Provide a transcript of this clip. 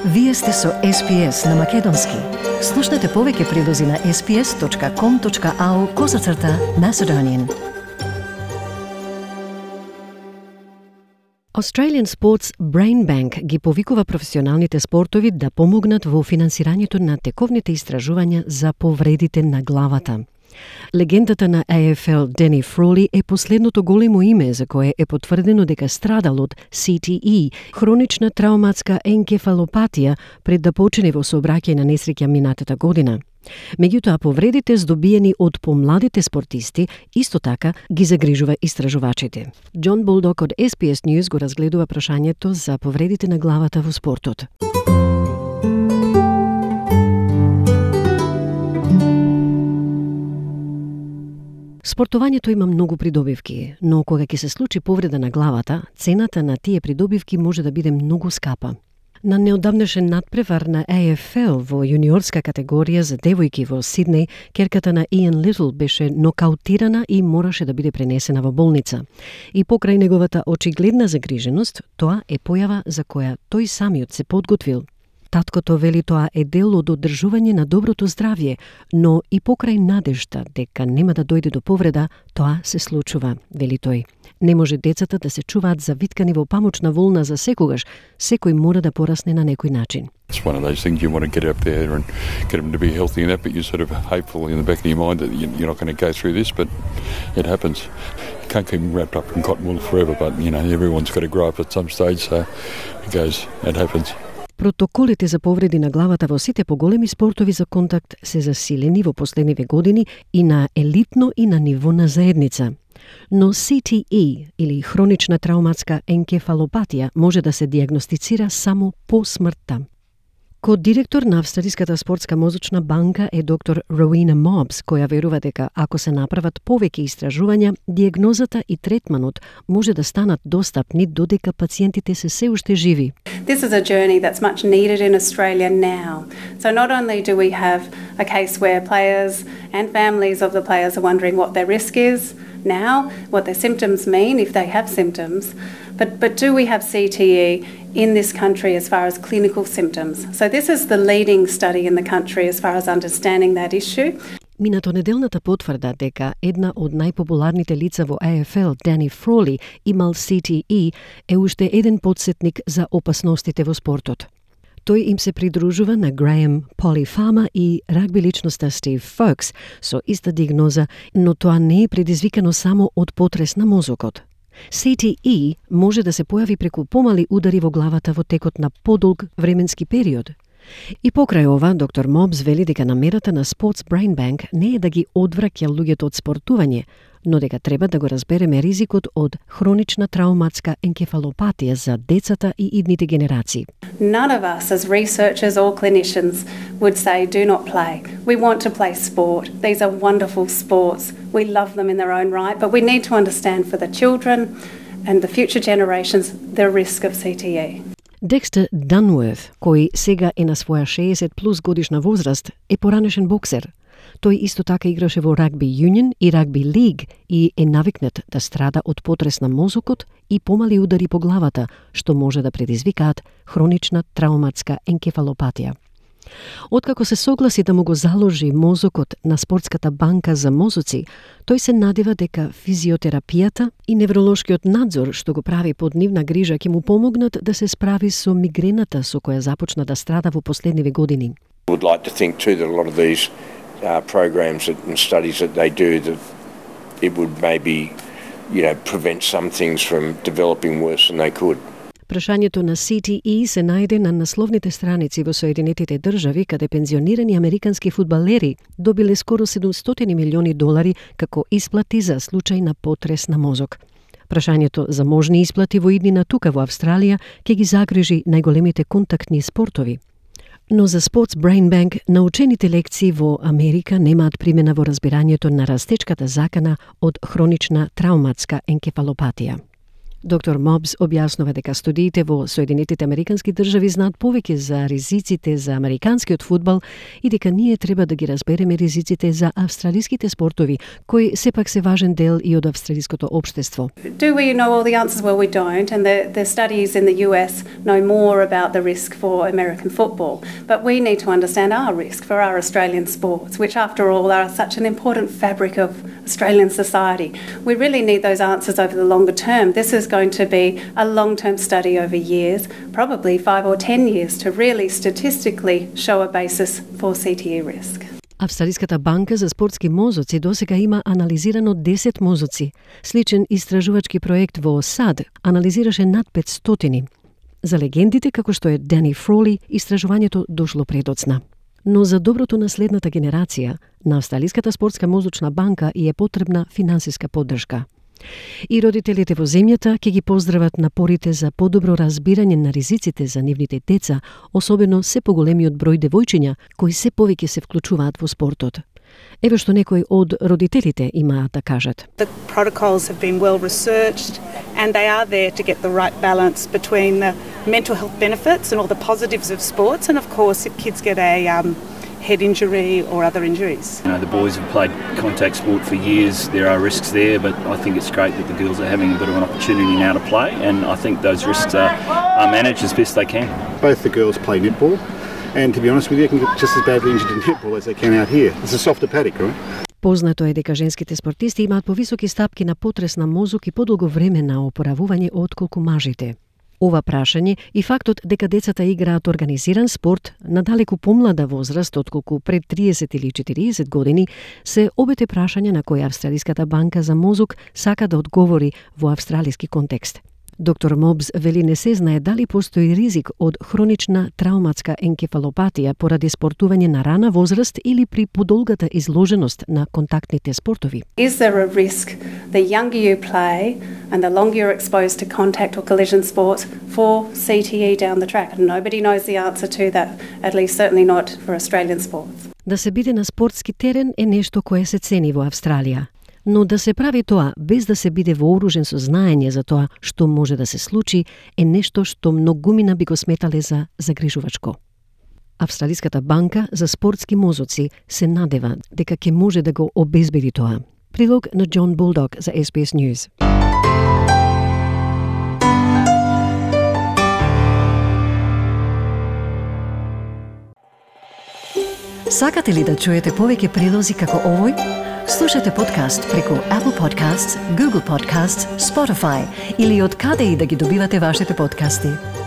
Вие сте со SPS на Македонски. Слушнете повеќе прилози на sps.com.au/Macedonian. Australian Sports Brain Bank ги повикува професионалните спортови да помогнат во финансирањето на тековните истражувања за повредите на главата. Легендата на AFL Danny Frawley е последното големо име за кое е потврдено дека страдал од CTE, хронична трауматска енкефалопатија, пред да почине во сообраќај на несреќа минатата година. Меѓутоа, повредите здобиени од помладите спортисти исто така ги загрижува истражувачите. Џон Булдок од SPS News го разгледува прашањето за повредите на главата во спортот. Спортувањето има многу придобивки, но кога ќе се случи повреда на главата, цената на тие придобивки може да биде многу скапа. На неодамнешен надпревар на AFL во јуниорска категорија за девојки во Сиднеј, керката на Иан Литл беше нокаутирана и мораше да биде пренесена во болница. И покрај неговата очигледна загриженост, тоа е појава за која тој самиот се подготвил. Таткото вели тоа е дел од одржување на доброто здравје, но и покрај надежда дека нема да дојде до повреда, тоа се случува, вели тој. Не може децата да се чуваат завиткани во памучна волна за секогаш, секој мора да порасне на некој начин. It's one of those things you want to get up there and get them to be healthy and that, but you're sort of hopeful in the back of your mind that you're not going to go through this, but it happens. You can't keep them wrapped up in cotton wool forever, but everyone's got to grow up at some stage, so it happens. Протоколите за повреди на главата во сите поголеми спортови за контакт се засилени во последниве години и на елитно и на ниво на заедница. Но CTE, или хронична трауматска енкефалопатија, може да се диагностицира само по смртта. Ко-директор на Австралиската спортска мозочна банка е доктор Rowena Mobbs, која верува дека ако се направат повеќе истражувања, диагнозата и третманот може да станат достапни додека пациентите се уште живи. This is a journey that's much needed in Australia now. So not only do we have a case where players and families of the players are wondering what their risk is now, what their symptoms mean if they have symptoms, but do we have CTE in this country as far as clinical symptoms? So this is the leading study in the country as far as understanding that issue. Минатонеделната потврда дека една од најпопуларните лица во AFL, Danny Frawley, имал CTE, е уште еден потсетник за опасностите во спортот. Тој им се придружува на Graham Polifama и рагби личноста Стив Фокс со иста диагноза, но тоа не е предизвикано само од потрес на мозокот. CTE може да се појави преку помали удари во главата во текот на подолг временски период. И покрај ова, доктор Мобс вели дека намерата на Sports Brain Bank не е да ги одвраќа луѓето од спортување, но дека треба да го разбереме ризикот од хронична трауматска енкефалопатија за децата и идните генерации. None of us as researchers or clinicians would say do not play. We want to play sport. These are wonderful sports. We love them in their own right, but we need to understand for the children and the future generations the risk of CTE. Декстер Данворт, кој сега е на своја 60 плюс годишна возраст, е поранешен боксер. Тој исто така играше во рагби юнион и рагби лиг и е навикнат да страда од потрес на мозокот и помали удари по главата, што може да предизвикаат хронична трауматска енкефалопатија. Откако се согласи да му го заложи мозокот на спортската банка за мозоци, тој се надева дека физиотерапијата и невролошкиот надзор што го прави под нивна грижа ќе му помогнат да се справи со мигрената со која започна да страда во последниве години. Would like to think too that a lot of these programs and studies that they do, that it would maybe prevent some things from developing worse than they could. Прашањето на CTE се најде на насловните страници во Соединетите држави, каде пензионирани американски фудбалери добиле скоро $700 милиони како исплати за случај на потрес на мозок. Прашањето за можни исплати во иднина тука во Австралија ќе ги загрижи најголемите контактни спортови. Но за Sports Brain Bank научените лекции во Америка немаат примена во разбирањето на растечката закана од хронична трауматска енкефалопатија. Доктор Мобс објаснува дека студиите во Соединетите Американски држави знаат повеќе за ризиците за американскиот фудбал и дека ние треба да ги разбереме ризиците за австралиските спортови, кои сепак се важен дел и од австралиското општество. Do we know all the answers? Well, we don't, and the studies in the US know more about the risk for American football, but we need to understand our risk for our Australian sports, which after all are such an important fabric of Australian society. We really need those answers over the longer term. This is going to be a long-term study over years, probably 5 or 10 years, to really statistically show a basis for CTE risk. Австралиската банка за спортски мозоци досега има анализирано 10 мозоци. Сличен истражувачки проект во САД анализираше над 500. За легендите како што е Дани Фроли, истражувањето дошло предоцна. Но за доброто на следната генерација, на Австралиската спортска мозочна банка и е потребна финансиска поддршка. И родителите во земјата ќе ги поздрават напорите за подобро разбирање на ризиците за нивните деца, особено се поголемиот број девојчиња кои се повеќе се вклучуваат во спортот. Еве што некои од родителите имаат да кажат. The protocols have been well researched and they are there to get the right balance between the mental health benefits and all the positives of sports, and of course if kids get a head injury or other injuries. You know, the boys have played contact sport for years. There are risks there, but I think it's great that the girls are having a bit of an opportunity now to play, and I think those risks are managed as best they can. Both the girls play netball, and to be honest with you, they can get just as badly injured in netball as they can out here. It's a softer paddock, right? Познато е дека женските спортисти имаат повисоки стапки на потрес на мозок и подолго време на опоравување отколку мажите. Ова прашање и фактот дека децата играат организиран спорт на далеку помлада возраст отколку пред 30 или 40 години се обете прашања на кои Австралиската банка за мозок сака да одговори во австралиски контекст. Доктор Мобс вели не се знае дали постои ризик од хронична трауматска енкефалопатија поради спортување на рана возраст или при подолгата изложеност на контактните спортови. Is there a risk the younger you play and the longer you're exposed to contact or collision sports for CTE down the track? And nobody knows the answer to that, at least certainly not for Australian sports. Да се биде на спортски терен е нешто кое се цени во Австралија. Но да се прави тоа без да се биде вооружен со знаење за тоа што може да се случи е нешто што многумина би го сметале за загрижувачко. Австралиската банка за спортски мозоци се надева дека ќе може да го обезбеди тоа. Прилог на Jon Bulldog за SBS News. Сакате ли да чуете повеќе прилози како овој? Слушате подкаст преку Apple Podcasts, Google Podcasts, Spotify или од каде и да ги добивате вашите подкасти.